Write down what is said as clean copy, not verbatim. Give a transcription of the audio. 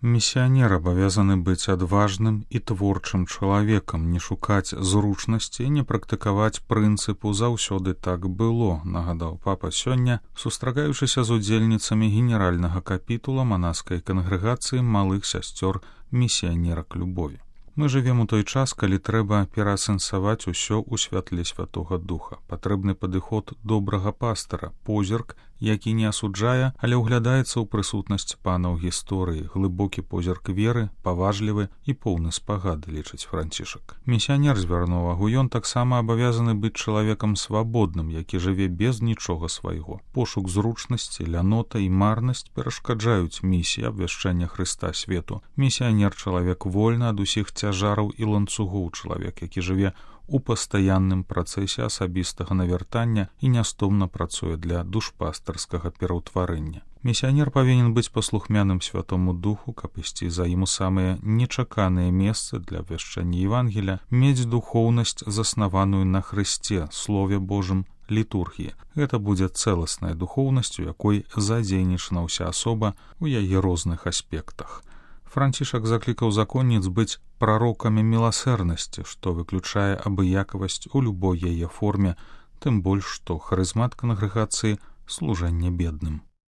Місіянер абавязаны быць адважным і творчым чалавекам, не шукаць зручнасці, не практыкаваць прынцыпу «заўсёды так было», нагадаў папа сёння, сустрагаючыся з удзельніцамі генеральнага капітула манаскай кангрэгацыі малых сясцёр місіянерак любові. Мы жывем у той час, калі трэба пераасэнсаваць усё ў святле Святога Духа. Патрэбны падыход добрага пастара, позірк, які не асуджае, але ўглядаецца ў прысутнасць пана ў гісторыі, глыбокі позірк веры, паважлівы і поўны спагады, лічыць Францішак. Місіянер звярнуў увагу, ён таксама абавязаны быць чалавекам свабодным, які жыве без нічога свайго. Пошук зручнасці, лянота і марнасць перашкаджаюць місіі абвяшчэння Хрыста свету. Місіянер — чалавек вольны ад усіх цяжараў і ланцугоў, чалавек, які жыве у пастаянным працэсе асабістага навяртання і нястомна працуе для душпастарскага пераўтварэння. Місіянер павінен быць паслухмяным Святому Духу, каб ісці за ім у самыя нечаканыя месцы для абвяшчэння Евангелія, мець духоўнасць, заснаваную на Хрысце, Слове Божым, літургіі. Гэта будзе цэласная духоўнасць, у якой задзейнічана ўся асоба ў яе розных аспектах. Францішак заклікаў законніц быць прарокамі міласэрнасці, што выключае абыякавасць у любой яе форме, тым больш, што харызмат кангрэгацыі — служэнне бедным.